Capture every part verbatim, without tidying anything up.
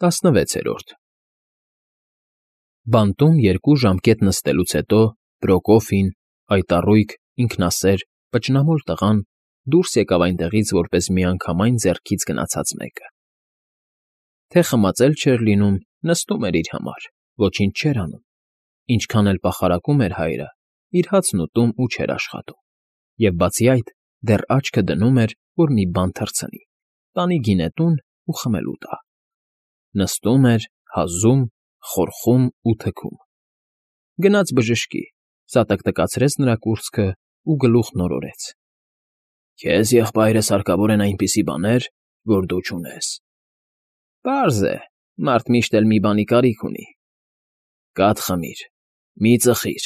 տասնվեցերորդ Բանտում երկու ժամկետ նստելուց հետո Պրոկոֆին, այտառույգ, ինքնասեր, պճնամոլ տղան դուրս եկավ այնտեղից որպես միանգամայն ձեռքից գնացած մեկը. թե խմածել չէր լինում, նստում էր իր համար, ոչինչ չէր անում, ինչքան էլ պախարակում էր հայրը, իր հացն ուտում ու չէր աշխատում, և բացի այդ, դեռ աչքը դնում էր, որ մի բան թռցնի, տանի գինետուն ու խմելու տա. նստում էր, հազում, խորխում ու թքում. գնաց բժշկի, սա տկտկացրեց նրա կուրծքը ու գլուխն օրորեց. քեզ եղբայրս հարկավոր են այնպիսի բաներ, որ դու չունես. Պարզ է, մարդ միշտ էլ մի բանի կարիք ունի. կաթ խմիր, մի ծխիր.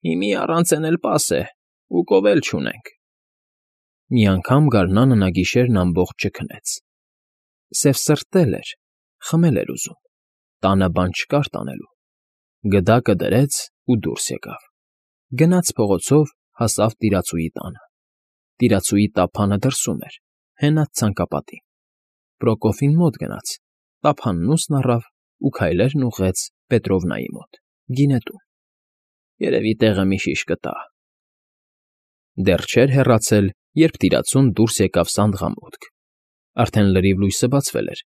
հիմի առանց էն էլ պաս է, ու կով էլ չունենք. Մի անգամ գարնանը նա գիշերն ամբողջ չքնեց. սևսրտել էր, խմել էր ուզում, տանը բան չկար տանելու. գդակը դրեց ու դուրս եկավ, գնաց փողոցով, հասավ տիրացուի տանը. տիրացուի տափանը դրսում էր, հենած ցանկապատին. Պրոկոֆին մոտ գնաց, տափանն ուսն առավ ու քայլերն ուղղեց Պետրովնայի մոտ, գինետուն. երևի տեղը մի շիշ կտա. դեռ չէր հեռացել, երբ տիրացուն դուրս եկավ սանդղամուտք. արդեն լրիվ լույսը բացվել էր,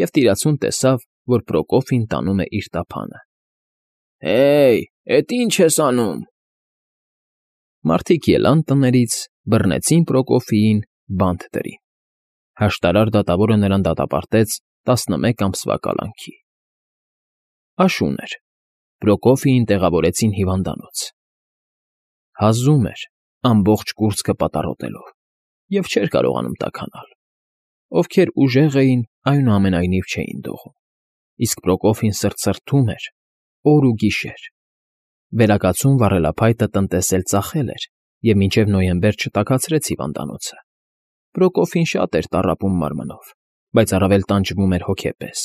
և տիրացուն տեսավ, որ Պրոկոֆին տանում է իր տափանը. Հեյ, էդ ի՞նչ ես անում։ Մարդիկ ելան տներից, բռնեցին Պրոկոֆիին, բանտ դրին. հաշտարար դատավորը նրան դատապարտեց տասնմեկ ամսվա կալանքի. աշուն էր, Պրոկոֆիին տեղավորեցին հիվանդանոց. հազում էր, ամբողջ կուրծքը պատառոտելով, և չէր կարողանում տաքանալ. ովքեր ուժեղ էին, այնուամենայնիվ չէին դողում, իսկ Պրոկոֆին սրտսրտում էր, օր ու գիշեր. վերակացուն վառելափայտը տնտեսել ծախել էր և մինչև նոյեմբեր չտաքացրեց հիվանդանոցը. Պրոկոֆին շատ էր տառապում մարմնով, բայց առավել տանջվում էր հոգեպես.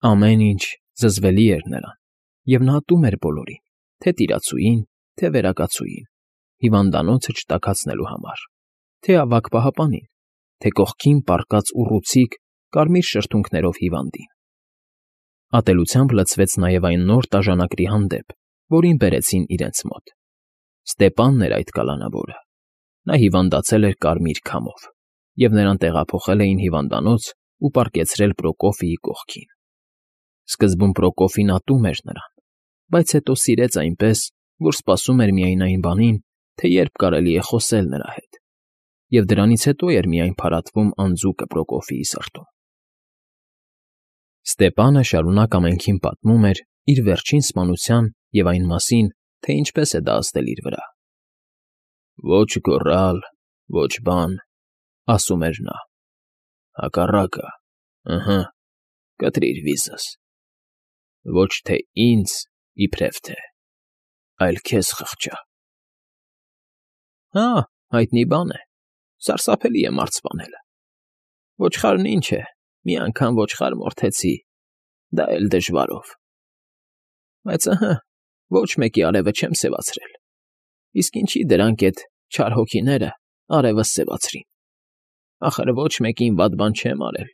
ամեն ինչ զզվելի էր նրան, և նա ատում էր բոլորին, թե տիրացուին, թե վերակացուին, հիվանդանոցը չտաքացնելու համար, թե ավագ պահապանին, թե կողքին պառկած ուռուցիկ, կարմիր շրթունքներով հիվանդին. Ատելությամբ լցվեց նաև այն նոր տաժանակրի հանդեպ, որին բերեցին իրենց մոտ. Ստեպանն էր այդ կալանավորը. նա հիվանդացել էր կարմիր քամով, և նրան տեղափոխել էին հիվանդանոց ու պառկեցրել Պրոկոֆիի կողքին. սկզբում Պրոկոֆին ատում էր նրան, բայց հետո սիրեց այնպես, որ սպասում էր միայն այն բանին, թե երբ կարելի է խոսել նրա հետ, և դրանից հետո էր միայն փարատվում անձուկը Պրոկոֆիի սրտում. Ստեպանը շարունակ ամենքին պատմում էր իր վերջին սպանության և այն մասին, թե ինչպես է դա ազդել իր վրա. Ոչ գոռալ, ոչ բան, ասում էր նա, հակառակը, ըհը, կտրիր վիզս, ոչ թե ինձ իբրև թե, այլ քեզ խղճա. Հա, հայտնի բան է, սարսափելի է մարդ սպանելը. ոչխարն ինչ է, մի անգամ ոչխար մորթեցի, դա էլ դժվարով, բայց ըհը, ոչ մեկի արևը չեմ սևացրել, իսկ ինչի դրանք էդ չար հոգիները արևս սևացրին, ախր ոչ մեկին վատ բան չեմ արել,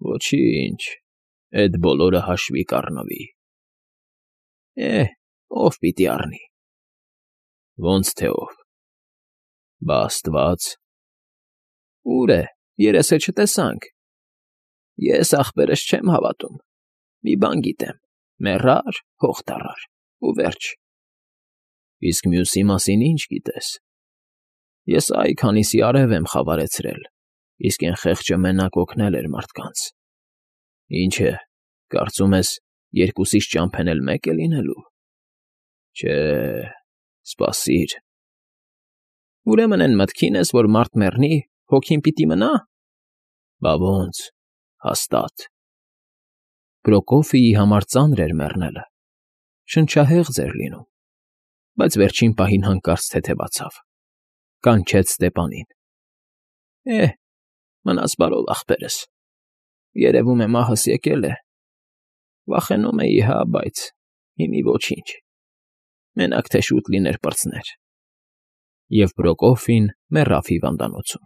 ոչինչ, էդ բոլորը հաշվի կառնվի, է, ով պիտի առնի, ոնց թե ով, բա աստված, ուր է, երես է չտեսանք, ես ախպերս չեմ հավատում, մի բան գիտեմ, մեռար, հող դառար, ու վերջ, իսկ մյուսի մասին ինչ գիտես, ես այ քանիսի արև եմ խավարեցրել, իսկ էն խեղճը մենակ օգնել էր մարդկանց, ինչ է, կարծում ես, երկուսիս ճամփեն էլ մեկ է լինելու, չէ, սպասիր, ուրեմն էն մտքին ես, որ մարդ մեռնի, հոգին պիտի մնա, բա ոնց, հաստատ, Պրոկոֆիի համար ծանր էր մեռնելը, շնչահեղձ էր լինում, բայց վերջին պահին հանկարծ թեթևացավ, կանչեց Ստեպանին. Է, մնաս բարով ախպերս, երևում է մահս եկել է, վախենում էի, հա, բայց հիմի ոչինչ, մենակ թե շուտ լիներ պրծներ, և Պրոկոֆին մեռավ հիվանդանոցում։